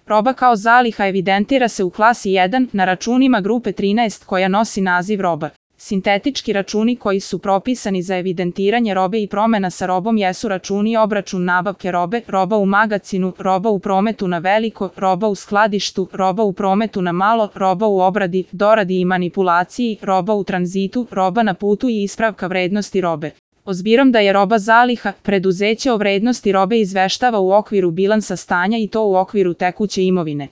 Roba kao zaliha evidentira se u klasi 1 na računima grupe 13 koja nosi naziv roba. Sintetički računi koji su propisani za evidentiranje robe i promena sa robom jesu računi obračun nabavke robe, roba u magacinu, roba u prometu na veliko, roba u skladištu, roba u prometu na malo, roba u obradi, doradi i manipulaciji, roba u tranzitu, roba na putu i ispravka vrednosti robe. Obzirom da je roba zaliha, preduzeće o vrednosti robe izveštava u okviru bilansa stanja i to u okviru tekuće imovine.